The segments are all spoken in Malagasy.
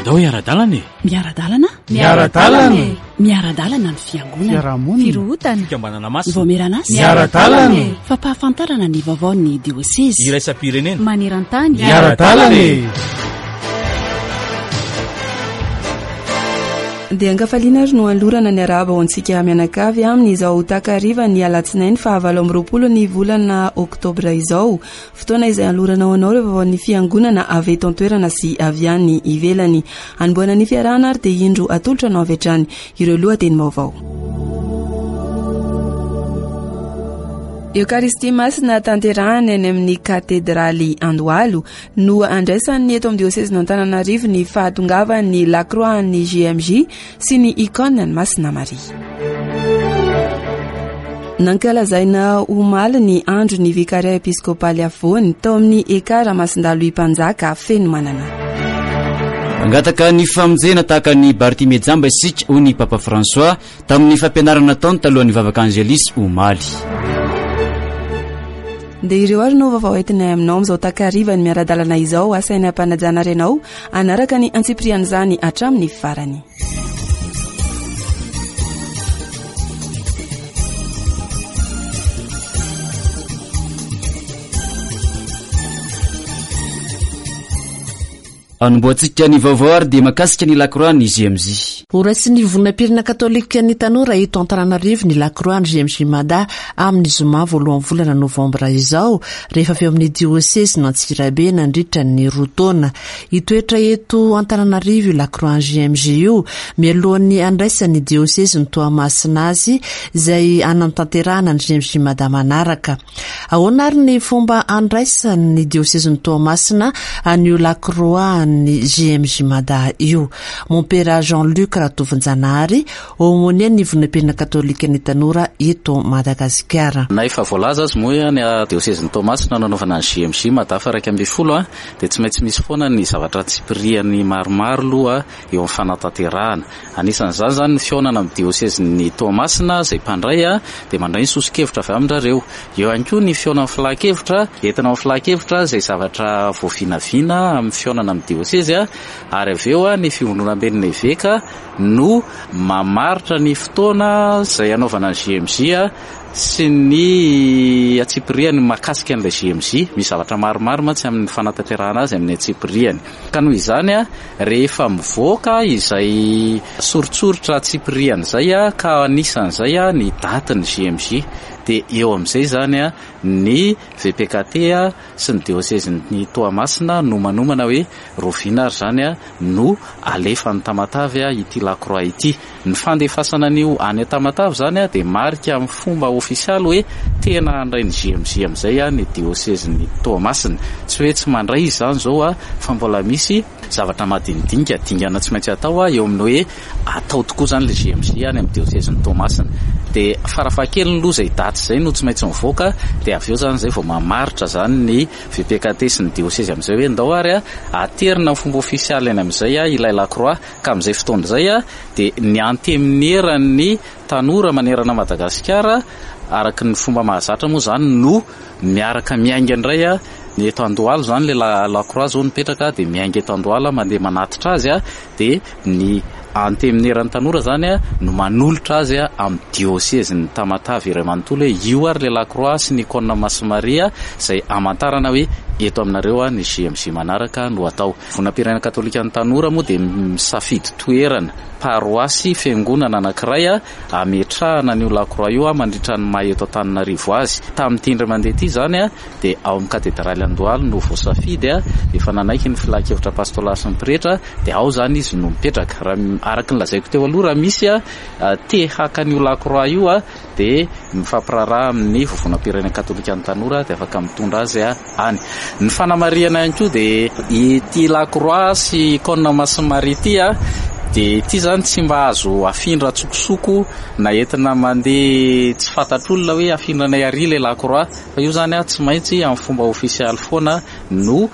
Andao hiara-dalana e! Miara-dalana? Miara-dalana e! Miara-dalana ny fiangonana. Fiarahamonina. Firohotana. Fikambanana masina. Ny vaomieran'asa. Miara-dalana e! Fampahafantarana ny vaovaon'ny diosezy. Iraisam-pirenena. Maneran-tany. Miara-dalana e! Dia ankafaliana ary no anolorana ny arahaba ho antsika mianakavy amin'izao takariva ny alatsinainy faha 28 ny volana oktobra izao. Fotoana izay anolorana ho anao ireo vaovaon'ny fiangonana avy eto an-toerana sy avy any ivelany. Hanombohana ny fiarahana ary dia indro atolotra anao avy hatrany ireo lohatenim-baovao. Eokaristia Masina tanterahana eny amin'ny Katedraly Andohalo no andraisan'ny eto amin'ny diosezin'Antananarivo ny fahatongavan'ny Lakroa an'ny JMJ sy ny Icône an'i Masina Maria. Nankalazaina omaly ny andron'ny Vikaria Episkopaly Afovoany tao amin'ny Ekar Masindalohy Mpanjaka Fenomanana. Mangataka ny famonjena tahaka an'i Bartimée jamba isika, hoy ny Papa François tamin'ny fampianarana nataony talohan'ny vavaka Angelus omaly. Dia ireo ary no vaovao entinay aminao amin'izao takarivan'ny miara-dalana izao. Asaina am-panajana ary ianao hanaraka ny antsipirian'izany hatramin'ny farany. Anombohantsika ny vaovao ary dia makasika ny lakroa ny GMJ. Horaisin'ny Vovonam-pirenena Katolikan'ny Tanora eto Antananarivo ny lakroa ny GMJ Mada amin'ny zoma voalohan'ny volana novambra izao, rehefa avy eo amin'ny diosezin'Antsirabe nandritra ny roa taona. Hitoetra eto Antananarivo io lakroa GMJ io mialohan'ny handraisan'ny diosezin'i Toamasina azy izay hanatanterahana ny GMJ Mada manaraka. Ahoana ary ny fomba handraisan'ny diosezin'i Toamasina an'io lakroa an'ny GMJ Mada io? Mompera Jean Luc Ratovonjanahary, Aumônier ny Ivonam-pirenena Katolikan'ny Tanora eto Madagasikara. Na efa voalaza aza moa hoe any diosezin'i Toamasina no nanaovana ny GMJ Mada faha 11 dia tsy maintsy misy foana ny zavatra antsipiriany maromaro aloha eo amin'ny fanatanterahana. Anisan'izany izany ny fihaonana amin'ny diosezin'i Toamasina izay mpandray dia mandray ny soso-kevitra avy amin-drareo. Eo ihany koa ny fihaonan'ny filan-kevitra, entina ao amin'ny filan-kevitra izay zavatra voavinavina amin'ny fihaonana amin'ny diosezy ary avy eo ny fivondronamben'ny eveka no mamaritra ny fotoana izay hanaovana ny GMJ sy ny antsipiriany mahakasika an'ilay GMJ. Misy zavatra maromaro mantsy amin'ny fanatanterahana azy amin'ny antsipiriany. Ka noho izany, rehefa mivoaka izay soritsoritra antsipiriany izay ka anisan'izay ny datin'ny GMJ dia eo amin'izay izany ny VPKT sy ny diosezin'i Toamasina no manomana hoe rahoviana ary izany no alefa any Tamatave ity lakroa ity. Ny fandefasana an'io any Tamatave izany dia marika amin'ny fomba ofisialy hoe tena handray ny JMJ amin'izay ny diosezin'i Toamasina. Tsy hoe tsy mandray izy izany izao fa mbola misy zavatra madinidinika, dingana tsy maintsy atao eo amin'ny hoe atao tokoa izany ilay JMJ any amin'ny diosezin'i Toamasina. Dia farafahakeliny aloha izay daty izay no tsy maintsy mivoaka dia avy eo izany izay vao mamaritra izany ny VPKT sy ny diosezy amin'izay hoe ndao ary aterina amin'ny fomba ofisialy any amin'izay ilay lakroa ka amin'izay fotoana izay dia ny antenimieran'ny tanora manerana Madagasikara araka ny fomba mahazatra moa izany no miaraka miainga indray ny eto Andohalo izany ilay lakroa izao mipetraka dia miainga eto Andohalo mandeha manatitra azy dia ny antenimieran'ny tanora izany no manolotra azy amin'ny diosezin'ny Tamatave iray manontolo hoe io ary ilay lakroa sy ny icône Masin'i Maria izay hamantarana hoe eto aminareo ny JMJ manaraka no atao. Vonam-pirenena katolikan'ny tanora moa dia misafidy toerana, paroasy, fiangonana anankiray ametrahana an'io lakroa io mandritra ny maha eto Antananarivo azy. Tamin'ity indray mandeha ity izany dia ao amin'ny katedraly Andohalo no voasafidy, efa nanaiky ny filan-kevitra pastolaly sy ny pretra dia ao izany izy no mipetraka. Raha araka ny lazaiko teo aloha, raha misy te haka an'io lakroa io dia mifampiraharaha amin'ny Vovonam-pirenena Katolikan'ny Tanora dia afaka mitondra azy any. Ny fanamarihana ihany koa dia ity lakroa sy icône Masin'i Maria ity dia ity izany tsy mba azo afindra an-tsokosoko na entina mandeha tsy fantatr'olona hoe afindranay ary ilay lakroa fa io izany tsy maintsy amin'ny fomba ofisialy foana no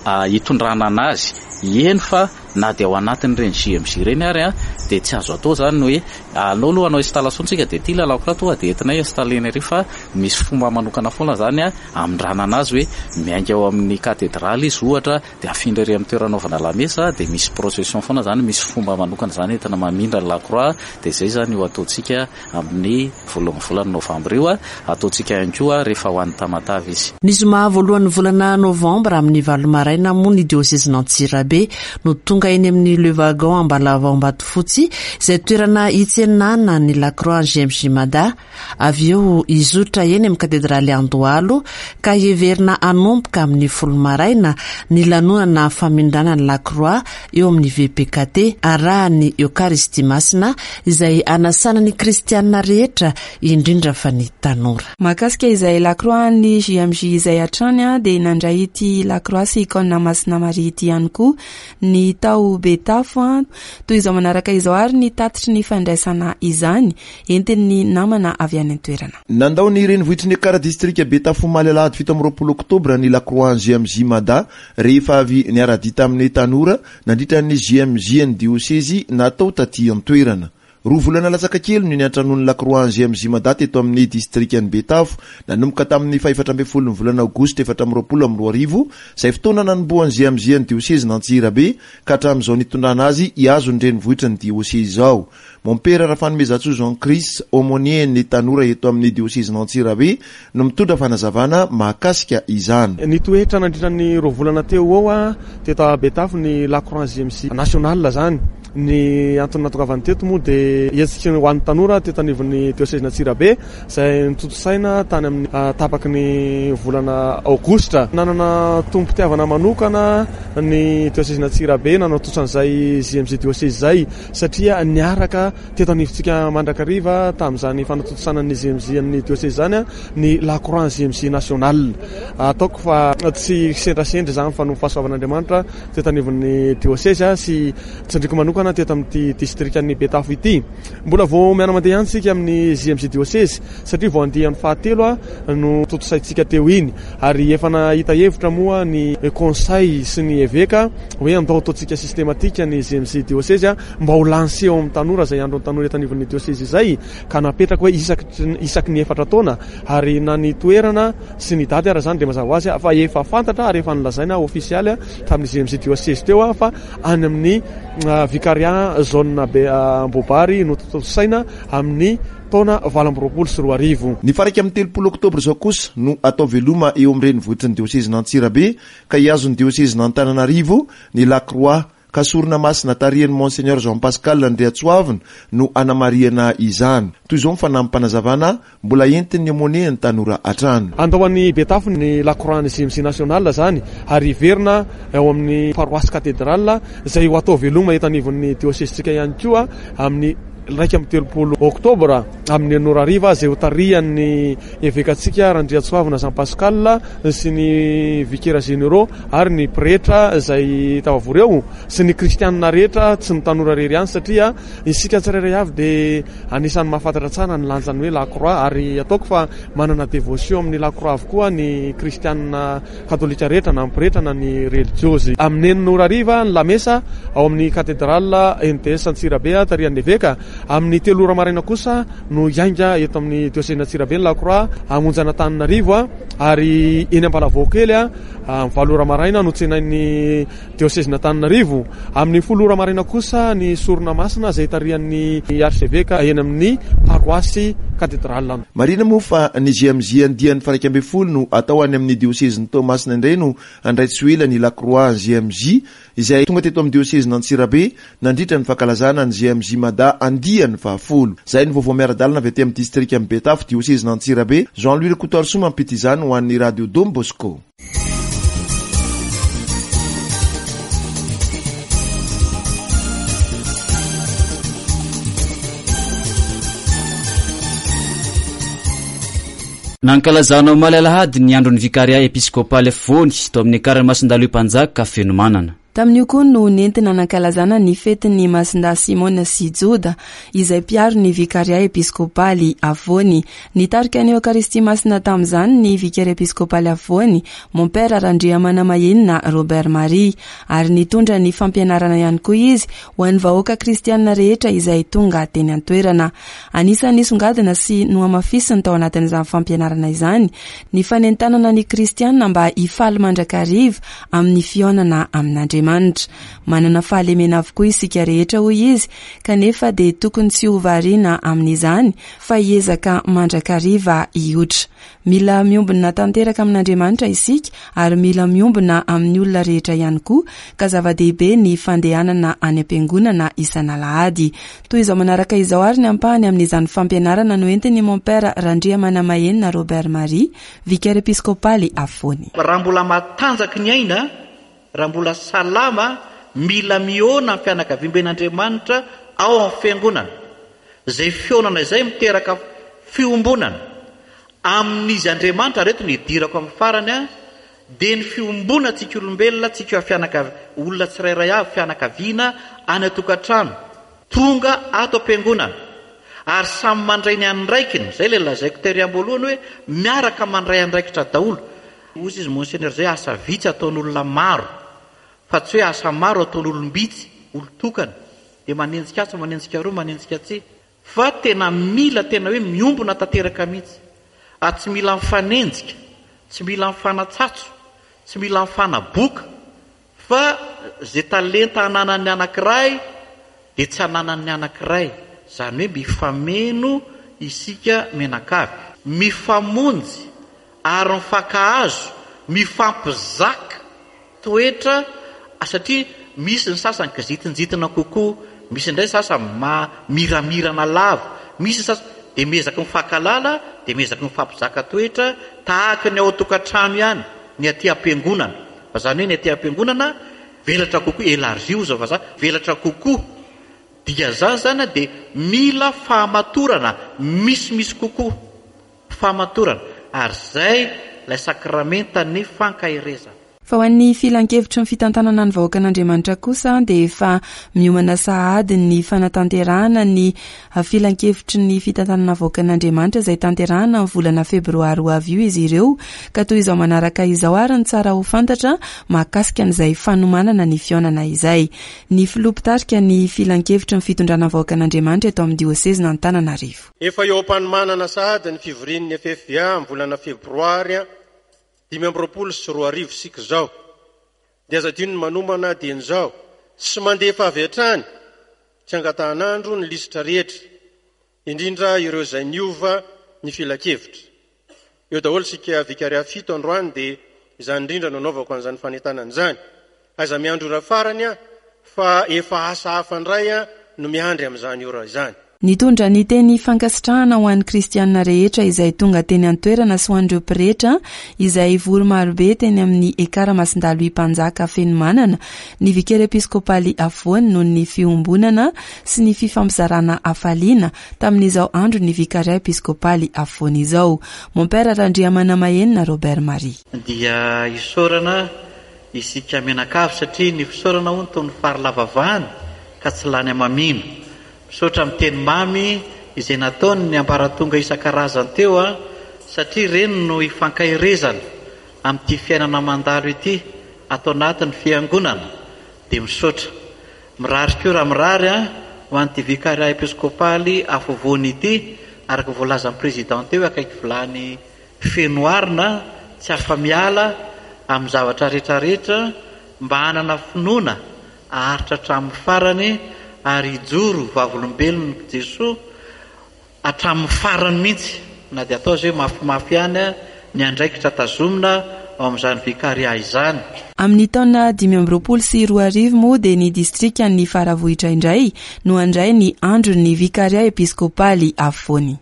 hitondrana anazy. Eny fa. Na dia ao anatin'ireny JMJ ireny ary dia tsy azo atao izany ny hoe aleo aloha hanao installation tsika dia ity ilay lakroa tonga dia entinay installer-na ery fa misy fomba manokana foana izany hamindrana anazy hoe miainga ao amin'ny katedraly izy ohatra dia afindra ery amin'ny toerana anaovana lamesa dia misy procession foana izany, misy fomba manokana izany entina mamindra ny lakroa dia izay izany io ataontsika amin'ny voalohan'ny volana novambra io, ataontsika ihany koa rehefa ho any Tamatave izy. Ny zoma voalohan'ny volana novambra amin'ny valo maraina moa ny diosezin'Antsirabe no tonga eny amin'ny Le Wagon Ambalavao Ambatofotsy izay toerana hitsenana ny Lakroa JMJ Mada. Avy eo hizotra eny amin'ny katedraly Andohalo ka heverina hanomboka amin'ny folo maraina ny lanonana famindrana ny Lakroa eo amin'ny VPKT arahan'ny Eokaristia Masina izay anasana ny kristianina rehetra indrindra fa ny tanora. Mahakasika izay Lakroa an'ny JMJ izay hatrany dia nandray ity Lakroa sy Icône Masina Maria ity ihany koa ny tao Betafo. Toy izao manaraka izao ary ny tatitry ny fandraisana izany entin'ny namana avy any an-toerana. Nandao ny renivohitry ny Ekar distrika Betafo omaly alahady 27 oktobra ny Lakroa JMJ Mada rehefa avy niara-dia tamin'ny tanora nandritra ny JMJ an'ny diosezy natao taty an-toerana. Roa volana latsaka kely no niantranoan'ny Lakroa JMJ Mada teto amin'ny distrikan'i Betafo nanomboka tamin'ny fahefatra ambin'ny folon'ny volana aogositra 2024, izay fotoana nanombohan'ny JMJ an'ny diosezin'Antsirabe ka hatramin'izao nitondrana azy hihazo ny renivohitry ny diosezy izao. Mompera Rafanomezantsoa Jean Chris, aumônier ny tanora eto amin'ny diosezin'Antsirabe no mitondra fanazavana mahakasika izany. Nitoetra nandritra ny roa volana teo ho eo teto Betafo ny La Croix JMJ National izany. Ny antony nahatongavany teto moa dia hetsika ho an'ny tanora teto anivon'ny diosezin'Antsirabe izay notontosaina tany amin'ny tapaky ny volana aogositra. Nanana tombom-pitiavana manokana ny diosezin'Antsirabe nanao an'izay JMJ diosezy izay. satria niaraka teto anivontsika mandrakariva tamin'izany fanatontosana ny JMJ amin'ny diosezy izany ny La Croix JMJ National. Ataoko fa tsy kisendrasendra izany fa noho ny fahasoavan'Andriamanitra teto anivon'ny diosezy sy tsindriko manokana teto amin'ity distrikan'i Betafo ity. Mbola vao miana-mandeha ihany isika amin'ny JMJ diosezy satria vao andiany fahatelo no tontosaintsika teo iny ary efa nahita hevitra moa ny conseil sy ny eveka hoe andao ataontsika systématique ny JMJ diosezy mba ho lancé ao amin'ny tanora izay andron'ny tanora eto anivon'ny diosezy izay ka napetraka hoe isaky ny efatra taona ary na ny toerana sy ny daty ara izany dia mazava ho azy fa efa fantatra ary efa nolazaina ofisialy tamin'ny JMJ diosezy teo fa any amin'ny vicariat zone Ambohibary no tontosaina amin'ny taona 2028. Ny faha 31 oktobra izao kosa no atao veloma eo amin'ny renivohitry ny diosezin'Antsirabe ka hihazo ny diosezin'Antananarivo ny Lakroa ka sorona masina tarihan'i Monseigneur Jean Pascal Andriatsoavina no hanamarihana izany. Toy izao ny fanampim-panazavana mbola entin'ny aumônier ny tanora hatrany. Handao an'i Betafo ny Lakroa ny JMJ National izany ary hiverina ao amin'ny Paroasy Cathedrale izay ho atao veloma eto anivon'ny diosezintsika ihany koa amin'ny 31 oktobra amin'ny enina ora hariva izay hotarihan'ny evekantsika Randriantsoavina Jean Pascal sy ny vikera généraux ary ny pretra izay tafavory eo sy ny kristianina rehetra, tsy ny tanora irery ihany satria isika tsirairay avy dia anisan'ny mahafantatra tsara ny lanjan'ny hoe la croix ary ataoko fa manana dévotion amin'ny la croix avokoa ny kristianina katolika rehetra na ny pretra na ny relijiozy. Amin'ny enina ora hariva ny lamesa ao amin'ny Katedrala NTS Antsirabe tarihan'ny eveka. Amin'ny telo ora maraina kosa no hiainga eto amin'ny diosezin'Antsirabe ny Lakroa hamonjy an'Antananarivo ary eny Ambalavaokely amin'ny valo ora maraina no tsenain'ny diosezin'Antananarivo. Amin'ny folo ora maraina kosa ny sorona masina izay tarihan'ny arseveka eny amin'ny paroasy Katedrala. Marihina moa fa ny JMJ andiany faha 11 no atao any amin'ny diosezin'i Toamasina indray no handray tsy ho ela ny Lakroa JMJ izay tonga teto amin'ny diosezin'Antsirabe nandritra ny fankalazana ny JMJ Mada andiany fahafolo. Izay ny vaovao miara-dalana avy aty amin'ny distrikan'i Betafo, diosezin'Antsirabe. Jean Louis Rakotoarisoa mampita izany ho an'ny Radio Don Bosco. Nankalazana omaly alahady ny andron'ny Vikarià Episkopaly Afovoany tao amin'ny Ekara Masindaloy Mpanjaka Fenomanana. Tamin'io koa no nentina nankalazana ny fetin'ny Masindahy Simona sy Joda, izay mpiaro ny Vikaria Episkopaly Afovoany. Nitarika ny Eokaristia Masina tamin'izany ny Vicaire Episkopaly Afovoany, Mompera Randriamanamahenina Robert Marie, ary nitondra ny fampianarana ihany koa izy ho an'ny vahoaka kristianina rehetra izay tonga teny an-toerana. Anisan'ny nisongadina sy nohamafisiny tao anatin'izany fampianarana izany ny fanentanana ny kristianina mba hifaly mandrakariva amin'ny fihaonana amin'Andriamanitra. Manana fahalemena avokoa isika rehetra, hoy izy, kanefa dia tokony tsy ho variana amin'izany fa hiezaka mandrakariva hiotra. Mila miombona tanteraka amin'Andriamanitra isika ary mila miombona amin'ny olona rehetra ihany koa ka zava-dehibe ny fandehanana any am-piangonana isan'alahady. Toy izao manaraka izao ary ny ampahany amin'izany fampianarana noentin'i Mompera Randriamanamahenina Robert Marie, Vicaire Episkopaly afovoany. Raha mbola matanjaka ny aina, raha mbola salama, mila mihaona amin'ny fianakaviamben'Andriamanitra ao amin'ny Fiangonana. Izay fihaonana izay miteraka fiombonana amin'Izy Andriamanitra, ary eto no hidirako amin'ny farany, dia ny fiombonantsika olombelona, tsika fianakav, olona tsirairay avy, fianakaviana, any an-tokantrano. Tonga ato am-piangonana ary samy mandray ny andraikiny, izay ilay lazaiko tery am-boalohany hoe miaraka mandray andraikitra daholo. Hozy izy Monseigneur izay asa vitsy ataon'olona maro fa tsy hoe asa maro ataon'olom-bitsy, olon-tokana, dia manenjika atsy, manenjika aroa, manenjika atsy. Fa tena mila tena hoe miombona tanteraka mihitsy. Ary tsy mila mifanenjika, tsy mila mifanatsatso, tsy mila mifanaboka Fa izay talenta ananan'ny anankiray dia tsy ananan'ny anankiray, izany hoe mifameno isika mianakavy. Mifamonjy ary mifankahazo, mifampizaka toetra satria misy ny sasany kizitinjitina kokoa, misy indray ny sasany miramirana lava, misy ny sasany dia miezaka mifankahalala dia miezaka mifampizaka toetra tahaka ny ao an-tokantrano ihany ny aty am-piangonana. Fa zany hoe ny aty am-piangonana velatra kokoa, élargi hozy vazaha, velatra kokoa. Dikan'izany zany dia mila fahamatorana misimisy kokoa. Fahamatorana. Ary zay ilay sakramentan'ny fankaherezana. Fa ho an'ny Filankevitry ny Fitantanana ny Vahoakan'Andriamanitra kosa dia efa miomana sahady ny fanatanterahana ny Filankevitry ny Fitantanana Vahoakan'Andriamanitra izay tanterahana amin'ny volana febroary ho avy io izy ireo ka toy izao manaraka izao ary ny tsara ho fantatra mahakasika an'izay fanomanana ny fihaonana izay. Ny Filoha mpitarika ny Filankevitry ny Fitondrana Vahoakan'Andriamanitra eto amin'ny Diosezin'Antananarivo. Efa eo am-panomanana sahady ny fivorian'ny FFVA amin'ny volana febroary 2025 isika izao. Dia aza adino ny manomana dieny izao sy mandefa avy hatrany tsy angatahan'andro ny lisitra rehetra, indrindra ireo izay niova ny filankevitra. Eo daholo isika Vicariat fito androany dia izany indrindra no anaovako an'izany fanentanana izany. Aiza miandry ora farany aho fa efa asa hafa indray no miandry amin'izany ora izany. Nitondra ny teny fankasitrahana ho an'ny kristianina rehetra izay tonga teny an-toerana sy ho an'ireo pretra izay vory marobe teny amin'ny Ekara Masindahy Louis Mpanjaka Fenomanana ny Vikera Episkopaly Afovoany noho ny fiombonana sy ny fifampizarana hafaliana tamin'izao andron'ny Vikaria Episkopaly Afovoany izao. Mompera Randriamanamahenina Robert Marie. Dia isaorana isika mianakavy satria ny fisaorana hono toy ny fary lava vany ka tsy lany hamamiana. Misaotra amin'ny teny mamy izay nataony ny ambaratonga isan-karazany teo a, satria ireny no ifankaherezana amin'ity fiainana mandalo ity ato anatin'ny fiangonana, dia misaotra. Mirary koa raha mirary a, ho an'ity Vicariat Episkopaly afovoany ity, araka ny voalazan'ny Président teo akaiky vilany feno arina, tsy afa-miala amin'ny zavatra rehetra rehetra, mba hanana finoana haharitra hatramin'ny farany ary hijoro ho vavolombelon'i Jesoa hatramin'ny farany mihitsy na dia atao aza hoe mafimafy ihany ny andraikitra tazomina ao amin'izany Vicariat izany. Amin'ny taona 2025 moa dia ny distrikan'i Faravohitra indray no handray ny andron'ny Vicariat Episkopaly afovoany.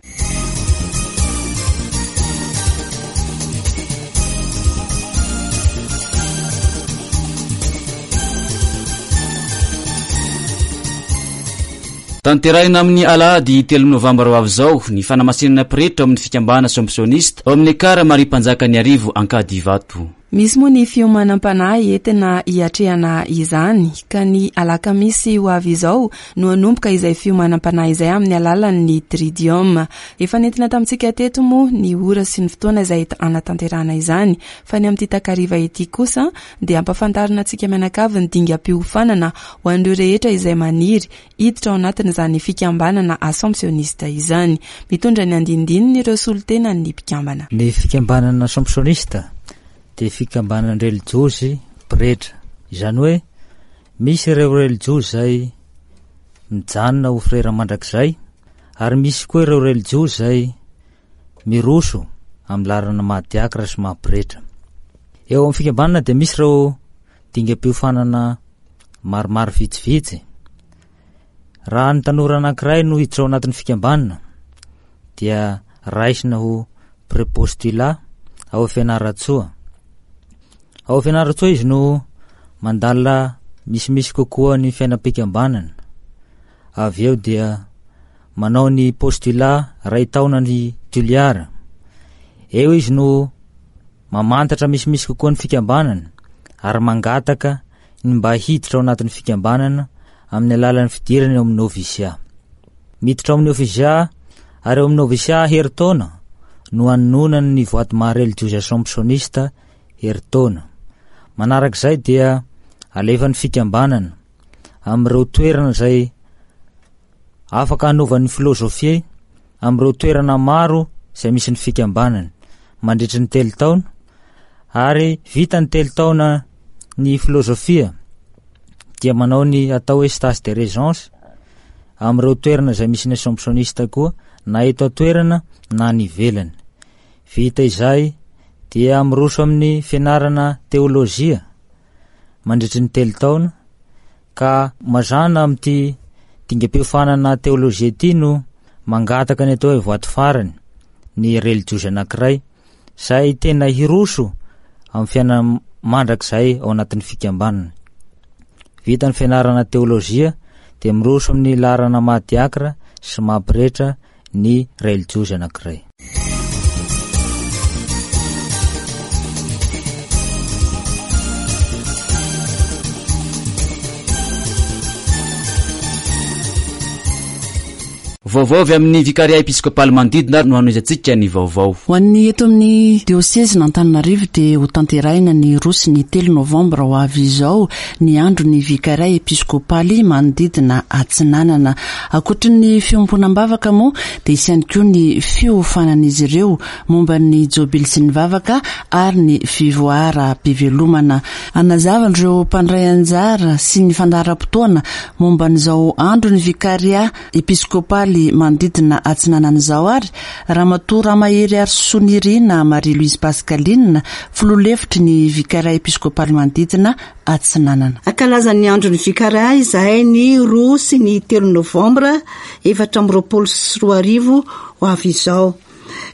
Tanterahina amin'ny alahady telo novambra ho avy izao ny fanamasinana pretra ao amin'ny fikambana Assomptioniste ao amin'ny Ekara Maria Mpanjakan'Iarivo Ankadivato. Misy moa ny fiomanam-panahy entina hiatrehana izany ka ny alakamisy ho avy izao no hanomboka izay fiomanam-panahy izay amin'ny alalan'ny Tridium. Efa nentina tamintsika teto moa ny ora sy ny fotoana izay hanatanterahana izany fa ny amin'ity takariva ity kosa dia ampafantarina antsika mianakavy ny dingam-piofanana ho an'ireo rehetra izay maniry hiditra ao anatin'izany fikambanana Assomptioniste izany. Mitondra ny andinindininy ireo solontenan'ny mpikambana. Ny fikambanana Assomptioniste dia fikambanan-drelijiozy pretra. Izany hoe misy ireo relijiozy izay mijanona ho frera mandrakizay ary misy koa ireo relijiozy izay miroso amin'ny laharana maha diakra sy maha pretra. Eo amin'ny fikambanana dia misy ireo dingam-piofanana maromaro vitsivitsy. Raha ny tanora anankiray no hiditra ao anatin'ny fikambanana dia raisina ho prepostulat ao Fianarantsoa. Ao Fianarantsoa izy no mandalina misimisy kokoa ny fiainam-pikambanana. Avy eo dia manao ny postulat ray taona ny Toliara. Eo izy no mamantatra misimisy kokoa ny fikambanana ary mangataka ny mba hiditra ao anatin'ny fikambanana amin'ny alalan'ny fidirana eo amin'ny novisia. Miditra ao amin'ny novisia ary eo amin'ny novisia herintaona no anononany ny voady maha relijiozy assomptioniste herintaona. Manarak'izay dia alefan'ny fikambanana amin'ireo toerana izay Afaka hanova ny filôzôfia amin'ireo toerana maro izay misy ny fikambanany mandritry ny telo taona, ary vita ny telo taona ny filôzôfia dia manao ny atao hoe stage de régence amin'ireo toerana izay misy ny assomptioniste koa na eto an-toerana na any ivelany. Vita izay dia miroso amin'ny fianarana teôlôjia mandritry ny telo taona Ka mazàna amin'ity dingam-piofanana teolojia ity no mangataka ny atao hoe voady farany ny relijiozy anankiray izay tena hiroso amin'ny fiainana mandrakizay ao anatin'ny fikambanana. Vita ny fianarana teolojia dia miroso amin'ny laharana maha diakra sy maha pretra ny relijiozy anankiray. Vaovao avy amin'ny Vikaria Episkopaly manodidina no hanohizantsika ny vaovao. Ho an'ny eto amin'ny diosezin'Antananarivo dia hotanterahina ny roa sy ny telo novambra ho avy izao ny andron'ny Vikaria Episkopaly manodidina Atsinanana. Ankoatry ny fiombonam-bavaka moa dia hisy ihany koa ny fiofanan'izy ireo momba ny jobily sy ny vavaka ary ny fivoaram-pivelomana. Hanazava ireo mpandray anjara sy ny fandaharam-potoana momba an'izao andron'ny Vikaria Episkopaly manodidina Atsinanana izao ary Ramatoa Ramahery Arisonirina Marie Louise Pascaline, filoha lefitry ny Vikaria Episkopaly manodidina Atsinanana. Hankalaza ny andron'ny Vikaria izahay ny roa sy ny telo novambra 2024 ho avy izao.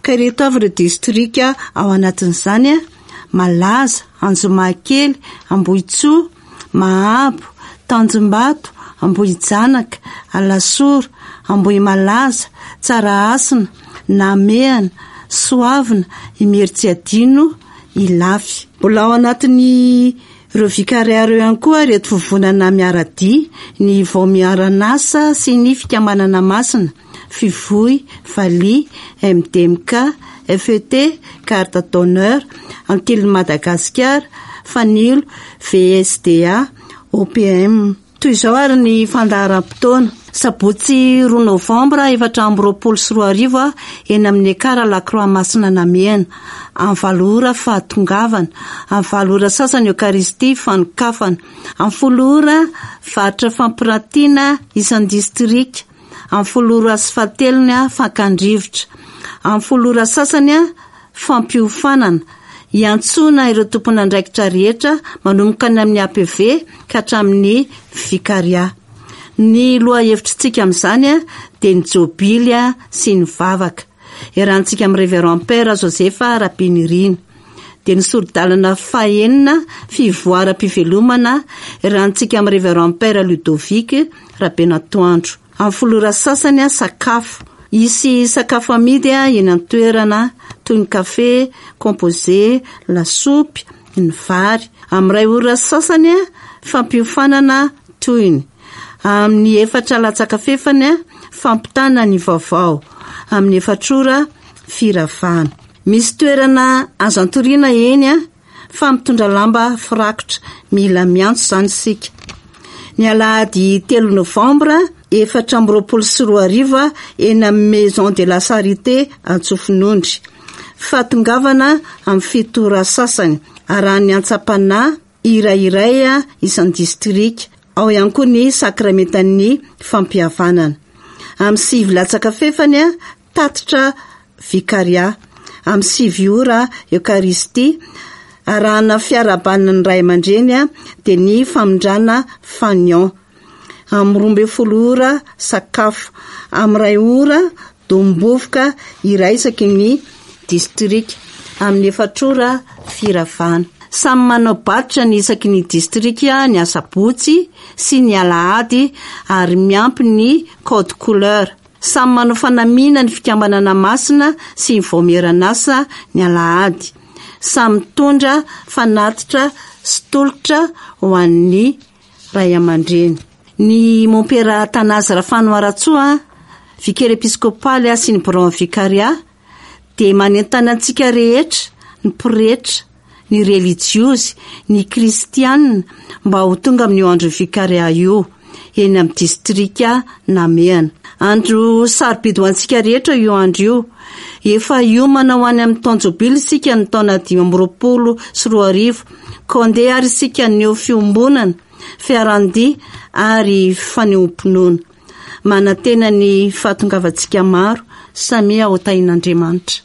Ka ireto avy ireo distrika ao anatin'izany, Malaza, Anjomakely, Ambohitsoa, Mahabo, Tanjombato, Ambohijanaka, Alasora, Ambohimalaza, Tsarahasina, Namehana, Soavina, Imerintsiadino, Ilafy. Mbola ao anatin'ny ireo Vicaria ireo ihany koa ireto vovonana miara-dia, ny Vaomiaran'asa sy ny Fikambanana Masina, Fivoy, Valiha, MDMK, FET, Garde d'honneur, Antilin'i Madagasikara, Fanilo, VSDA, OPM. Toy izao ary ny fandaharam-potoana. Sabotsy roa novambra 2024 eny amin'ny Ekar La Croix Masina Namehana. Amin'ny valo ora fahatongavana. Amin'ny valo ora sasany Eokaristia fanokafana. Amin'ny folo ora varotra fampirantiana isan-distrika. Amin'ny folo ora sy fahatelony fakan-drivotra. Amin'ny folo ora sasany fampiofanana, hiantsoana ireo tompon'andraikitra rehetra manomboka any amin'ny APV ka hatramin'ny Vikaria. Ny lohahevitritsika amin'izany dia ny Jobily sy ny vavaka. Iarahantsika amin'ny Révérend Père Joseph Rabenirina. Dia ny sori-dalana fahenina, fivoaram-pivelomana, iarahantsika amin'ny Révérend Père Ludovic Rabenatoandro. Amin'ny folo ora sasany, sakafo. Hisy sakafo amidy eny an-toerana toy ny kafe, composé, lasopy. ny vary. Amin'ny iray ora sy sasany, fampiofanana tohiny. Amin'ny efatra latsaka fefany, fampitana ny vaovao. Amin'ny efatra ora, firavana. Misy toerana azo antoriana eny fa mitondra lamba firakotra. Mila miantso izany isika. Ny alahady telo novambra 2024 eny amin'ny Maison de la Charité Antsofinondry. Fahatongavana amin'ny fito ora sasany. Arahan'ny antsam-panahy hira iray isan-distrika. Ao ihany koa ny sakramentan'ny fampihavanana. Amin'ny sivy latsaka fefany, tatitra vikaria. Amin'ny sivy ora, Eokaristia. Arahana fiarahabana ny ray aman-dreny dia ny famindrana fanion. Amin'ny 12 ora, sakafo. Amin'ny iray ora, Dombovoka iray isaky ny distrika. Amin'ny efatra ora, firavana. Samy manao batitra ny isaky ny distrika ny asabotsy sy ny alahady ary miampy ny code couleur. Samy manao fanamiana ny fikambanana masina sy ny vaomieran'asa ny alahady. Samy mitondra fanatitra sy tolotra ho an'ny ray aman-dreny. Ny Mompera Athanase Rafanoharatsoa, Vicaire Episkopaly sy ny Biraon'ny Vikaria dia manentana antsika rehetra, ny pretra, ny relijiozy, ny kristiana mba ho tonga amin'io andron'ny Vikaria io, eny amin'ny distrika Namehana. Andro sarobidy ho antsika rehetra io andro io. Efa hiomana ho any amin'ny taon-jobily isika ny taona 2025. Koa andeha ary isika haneho fiombonana, fiaran-dia ary fanehoam-pinoana. Manantena ny fahatongavantsika maro, samia ho tahin'Andriamanitra.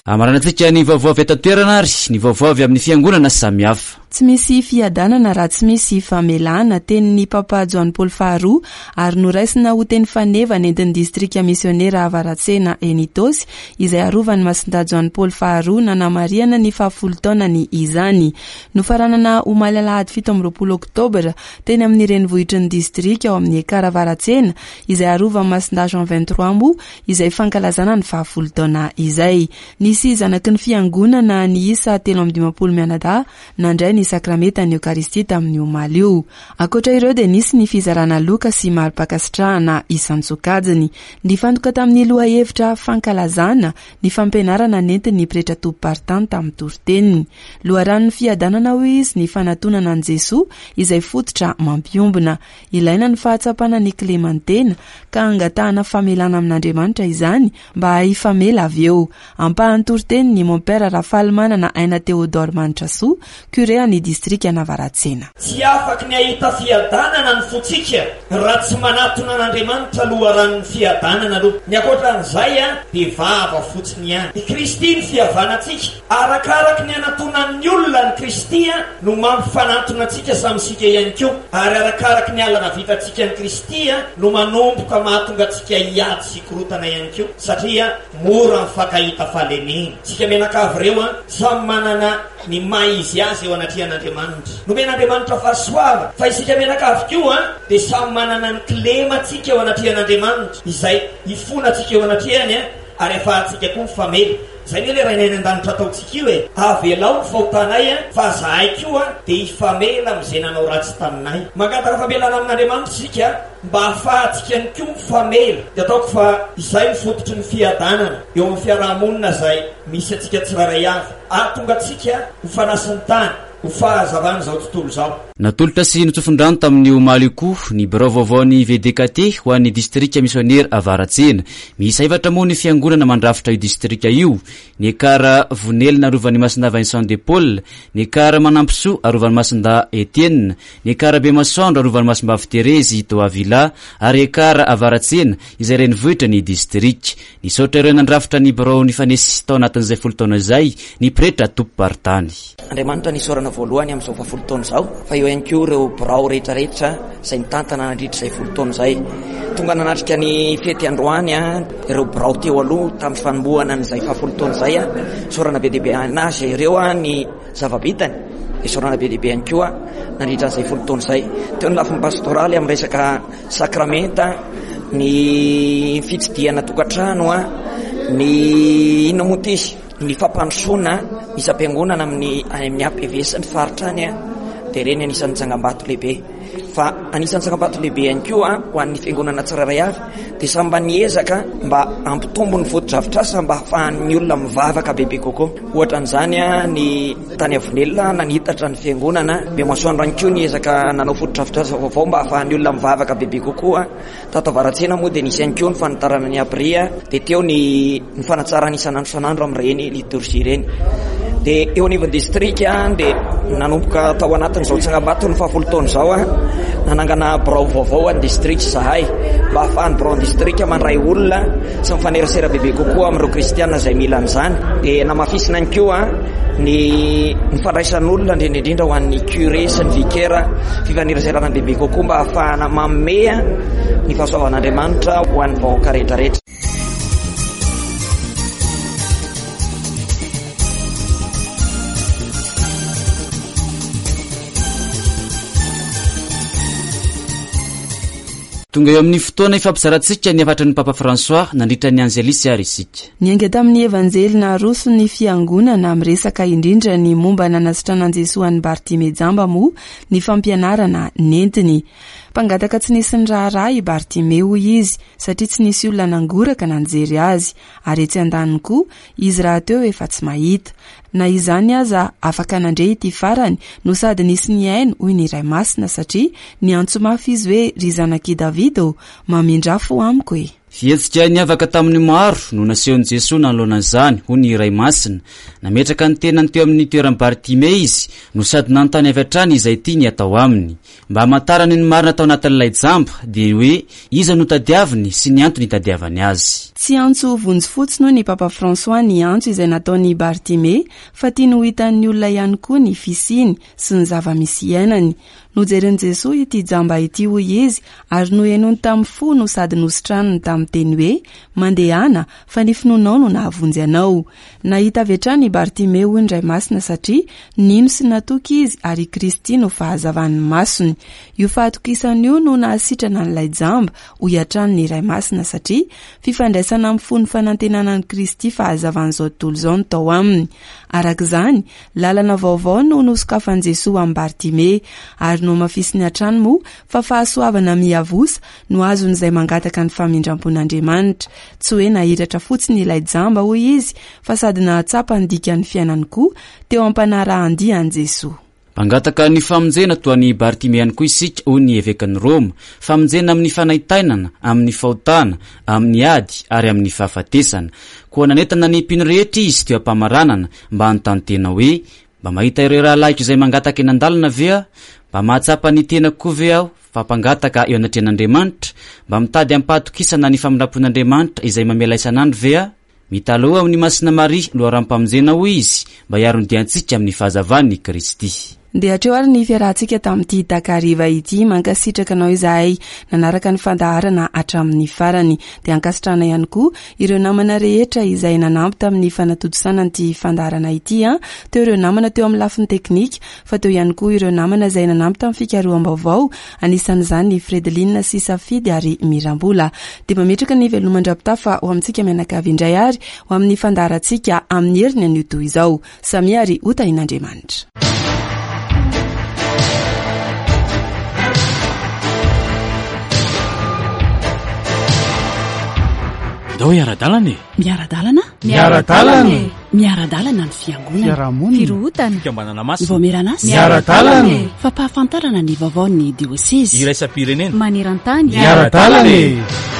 Amaranantsika ny vaovao avy eto an-toerana ary ny vaovao avy amin'ny fiangonana samihafa. Tsy misy fiadanana raha tsy misy famelana, tenin'ny Papa Joany Paoly faharoa ary noraisina ho teny faneva nentin'ny distrika misionera Avaratsena eny Itaosy izay arovan'i Masindahy Joany Paoly faharoa nanamarihana ny fahafolo taonany izany. Nofaranana omaly alahady 27 oktobra teny amin'ny renivohitry ny distrika ao amin'ny Ekar Avaratsena izay arovan'i Masindahy Jean 23 moa izay fankalazana ny fahafolo taona izay. Nisy zanaky ny Fiangonana niisa 53 mianadahy nandray ny sakramentan'ny Eokaristia tamin'io omaly io. Ankoatra ireo dia nisy ny fizarana loka sy mari-pankasitrahana isan-tsokajiny. Nifantoka tamin'ny lohahevitra fankalazana ny fampianarana nentin'ny pretra tompom-paritany tamin'ny toriteniny. Loharanon'ny fiadanana hoy izy ny fanatonana an'i Jesoa izay fototra mampiombona. Ilaina ny fahatsapana ny kileman'ny tena ka angatahana famelana amin'Andriamanitra izany mba hifamela avy eo. Ampahan'ny toriteniny i Mompera Rafalimanana Aina Théodore Manitrasoa, Curé an'ny distrikan'Avaratsena. Tsy afaky ny hahita fiadanana ny fontsika raha tsy manatona an'Andriamanitra loharanon'ny fiadanana aloha. Ny ankoatra an'izay dia vava fotsiny ihany. I Kristy no fihavanantsika. Arakaraky ny anatonan'ny olona an'i Kristy no mampifanantona antsika samy isika ihany koa. Ary arakaraky ny halanavitantsika an'i Kristy no manomboka mahatonga antsika hiady sy Korotana ihany koa satria mora mifankahita fahalemena. Isika mianakavy ireo an, samy manana ny maha izy azy eo anatrehan'Andriamanitra. Nomen'Andriamanitra fahasoavana fa isika mianakavy koa an, dia samy manana ny kilemantsika eo anatrehan'Andriamanitra, izay ifonantsika eo anatrehany an, ary afahantsika koa mifamela. Izay anie ilay Rainay any an-danitra ataontsika io e! Avelao ny fahotanay an, fa zahay koa dia hifamela amin'izay nanao ratsy taminay. Mangataka famelana amin'Andriamanitra isika. Mba hahafahantsika ihany koa mifamela dia ataoko fa izay no fototry ny fiadanana eo amin'ny fiaraha-monina izay misy antsika tsirairay avy, hahatonga antsika ho fanasin'ny tany, ho fahazavan'izao tontolo izao. Natolotra sy notsofin-drano tamin'io omaly io koa ny birao vaovaon'ny VDKT ho an'ny distrika misionera Avaratsena. Miisa efatra moa ny fiangonana mandrafitra io distrika io, ny Ekar Vonelina arovan'i Masindahy Vincent de Paul, ny Ekar Manampisoa arovan'i Masindahy Etienne, Ny Ekar Bemasoandro arovan'i Masimbavy Terezy Toavila ary Ekar Avaratsena izay renivohitra ny distrika. Nisaotra ireo nandrafitra ny birao nifanesy tao anatin'izay folo taona izay ny pretra tompom-paritany. Andriamanitra nisaorana. nitantana voalohany amin'izao fahafolo taona izao, fa eo ihany koa ireo birao rehetrarehetra izay nitantana nandritra izay folo taona izay. Tonga nanatrika ny fety androany ireo birao teo aloha tamin'ny fanombohana an'izay fahafolo taona izay. Isaorana be dia be anazy ireo ny zava-bitany, isaorana be dia be ihany koa nandritra an'izay folo taona izay. Teo ny lafiny pastoraly amin'ny resaka sakramenta, ny fitsidihana tokantrano, ny inona moa ity izy? Ny fampandrosoana isam-piangonana amin'ny any amin'ny APV sy ny faritra any dia ireny anisan'ny tsangambato lehibe. Fa anisan'ny tsangambato lehibe ihany koa ho an'ny fiangonana tsirairay avy dia samy mba niezaka mba hampitombo ny fotodrafitrasa mba hahafahan'ny olona mivavaka bebe kokoa. Ohatra an'izany ny tany Avonelina nanitatra ny fiangonana, Bemasoandro ihany koa niezaka nanao fotodrafitrasa vaovao mba hahafahan'ny olona mivavaka bebe kokoa. Tato Avaratsena moa dia nisy ihany koa ny fanitarana ny abri dia teo ny ny fanatsarana isan'andro isan'andro amin'ireny litorjia ireny. Dia eo anivon'ny distrika dia nanomboka tao anatin'izao tsangambato ny fahafolo taona izao nanangana birao vaovao an'ny distrika izahay mba hahafahan'ny biraon'ny distrika mandray olona sy mifanerasera bebe kokoa amin'ireo kristiana izay mila an'izany. Dia namafisina ihany koa ny ny fandraisan'olona indrindra indrindra ho an'ny curé sy ny vicaire fifaneraserana bebe kokoa mba hahafahana manome ny fahasoavan'Andriamanitra ho an'ny vahoaka rehetra rehetra. Tonga eo amin'ny fotoana ifampizarantsika ny hafatry ny Papa François nandritra ny Angelus ary isika. Niainga tamin'ny Evanjely naroso ny Fiangonana miresaka indrindra ny momba nanasitranan'i Jesoa an'i Bartime jamba moa ny fampianarana nentiny. Mpangataka tsy nisy niraharaha i Bartime hoy izy satria tsy nisy olona nangoraka na nijery azy ary etsy andaniny koa izy rahateo efa tsy mahita. Na izany aza afaka nandre ity farany no sady nisy nihaino hoy ny Ray Masina satria niantso mafy izy hoe ry zanak'i Davida ô, mamindrà fo amiko e! Fihetsika niavaka tamin'ny maro no nasehon'i Jesoa nanoloana an'izany, hoy ny Ray Masina. Nametraka ny tenany teo amin'ny toeran'i Bartime izy no sady nanontany avy hatrany izay tiany hatao aminy. Mba hamantarany ny marina tao anatin'ilay jamba, dia ny hoe iza no tadiaviny sy ny antony itadiavany azy. Tsy antso vonjy fotsiny hoy ny Papa François ny antso izay nataon'i Bartimée fa tiany ho hitan'ny olona ihany koa ny fisiany sy ny zava-misy iainany. Nojeren'i Jesoa ity jamba ity hoy izy ary nohenoiny tamin'ny fo no sady nositraniny tamin'ny teny hoe mandehana fa ny finoanao no nahavonjy anao. Nahita avy hatrany i Bartimeo hoy ny Ray Masina satria nino sy natoky izy ary i Kristy no fahazavan'ny masony. Io fahatokisana io no nahasitrana an'ilay jamba hoy hatrany ny Ray Masina satria fifandraisana amin'ny fon'ny fanantenana an'i Kristy fahazavan'izao tontolo izao no tao aminy. Araka izany, lalana vaovao no nosokafan'i Jesoa amin'i Bartimeo ary nohamafisiny hatrany moa fa fahasoavana miavosa no azon'izay mangataka ny famindram-pon'Andriamanitra. Tsy hoe nahiratra fotsiny ilay jamba, hoy izy, fa sady nahatsapa ny dikan'ny fiainany koa teo am-panarahan-dia an'i Jesoa. Mpangataka ny famonjena toa an'i Bartimea ihany koa isika, hoy ny evekan'i Roma. Famonjena amin'ny fanaintainana, amin'ny fahotana, amin'ny ady ary amin'ny fahafatesana. Koa nanentana ny mpino rehetra izy teo am-pamaranana mba hanontany tena hoe, Mba mahita ireo rahalahiko izay mangataka eny an-dalana ve aho? Mba mahatsapa ny tenako koa ve aho fa mpangataka eo anatrehan'Andriamanitra? Mba mitady amim-pahatokisana ny famindram-pon'Andriamanitra izay mamela isan'andro ve aho? Mitalaho amin'i Masina Maria, loharanom-pamonjena, hoy izy, mba hiaro ny diantsika amin'ny fahazavan'i Kristy. Dia hatreo ary ny fiarahantsika tamin'ity takariva ity. Mankasitraka anao izahay nanaraka ny fandaharana hatramin'ny farany. Dia ankasitrahana ihany koa ireo namana rehetra izay nanampy tamin'ny fanatontosana an'ity fandaharana ity. Teo ireo namana teo amin'ny lafiny teknika, fa teo ihany koa ireo namana izay nanampy tamin'ny fikaroham-baovao, anisan'izany i Fredeline sy Safidy ary Mirambola. Dia mametraka ny veloma mandra-pitafa ho amintsika mianakavy indray ary ho amin'ny fandaharantsika amin'ny heriny anio toy izao. Samia ary ho tahin'Andriamanitra. Ndao hiara-dalana e! Miara-dalana? Miara-dalana e! Miara-dalana ny fiangonana. Fiarahamonina. Firohotana. Fikambanana masina. Ny vaomieran'asa. Miara-dalana e! Fampahafantarana ny vaovaon'ny diosezy. Iraisam-pirenena. Maneran-tany. Miara-dalana e!